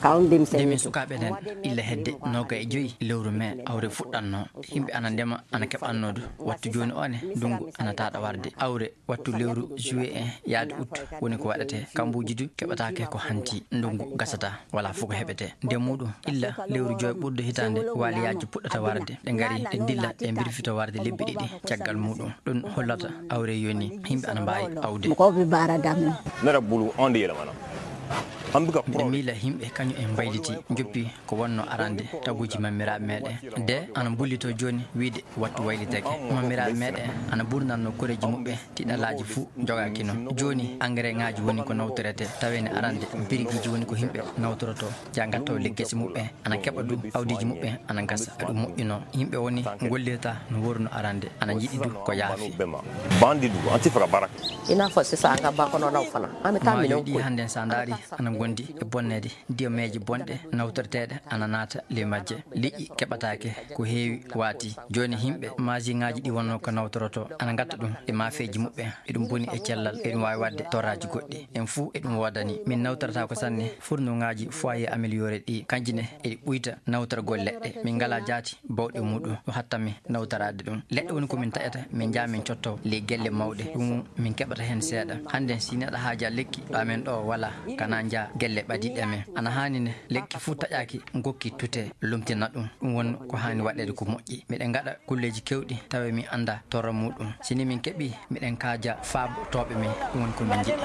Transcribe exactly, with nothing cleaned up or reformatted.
Nde min sukaaɓe nden, illa hedde noogay e joyi lewru mee, awre fuɗɗanno. Yimɓe ana ndema, ana keɓanno du. Wattu jooni o ne, ndungu ana taaɗa warde. Awre wattu lewru juillet en yaade août woni ko waɗetee. Kambuuji du keɓataake ko hanti. Ndungu gasata, wala fof ko heɓetee. Nde muɗum, illa lewru joy ɓurɗo hitaande, waaliyaaji puɗɗata warde. Ɗe ngari, ɗe ndilla, ɗe mbirfita warde lebbi ɗiɗi caggal muɗum. Ɗum hollata awre yoni yimɓe ana mbaawi awde. Mɔgɔw bɛ baara daminɛ. Ne yɛrɛ bolo, anw de yɛlɛmana. An bɛ ka Miɗo miila yimɓe kañum en mbayliti, njoppi ko wonno arande taguuji mammiraaɓe meɗen. De ana mbullito jooni wiide wattu waylitake. Mammiraaɓe meɗen ana ɓurnanno koreeji muɓɓen, tiɗalaaji fuu jogaakino. Jooni, engrais ŋaaji woni ko nawtoretee, tawee ne arande birigiiji woni ko yimɓe nawtorotoo, ja ngattoo le gese muɓɓen, ana keɓa du awdiiji muɓɓen, ana gasa, aɗum moƴƴuno. Yimɓe woni ngollirta no worno arande, ana njiɗi du ko yaafi. Bandi du, an ti fɛ ka baara kɛ. I n'a fɔ sisan, an ka ba kɔnɔnaw fana, an bɛ taa Maayo minɛnw ɗi ko hannde, so a ndaari, ana ngondi e bonneede. Ndiyameeje bonɗe nawtorteeɗe ana naata ley majje. Liƴƴi keɓataake, ko heewi waati. Jooni yimɓe maasiŋaaji ɗi wonno ko nawtoroto, ana ngatta ɗum e maafeeji muɓɓen. Eɗum boni e cellal, eɗum waawi waɗde torraaji goɗɗi. En fuu eɗum woodani. Min nawtortaako sanne furnuŋaaji foyer amélioré ɗi, kanji ne eɗi ɓuyta nawtorgol leɗɗe. Min ngalaa jaati bawɗe muɗum, ɗum hatta min nawtoraade ɗum. Leɗɗe woni ko min taƴata, min njaha min cotto ley gelle mawɗe. Ɗum min keɓata heen seeɗa. Hannde, si neɗɗo haajaa lekki, ɗo amen ɗo walaa, kana njaha gelle ɓadiiɗe amen. Ana haani ne, lekki fuu taƴaaki, ngokki tute, lomtina ɗum. Ɗum woni ko haani waɗeede ko moƴƴi. Miɗen ngaɗa kulleeji keewɗi, tawa min anndaa torra muɗum. Si ni min keɓii, miɗen kaaja faabo tooɓe min. Ɗum woni ko min njiɗi.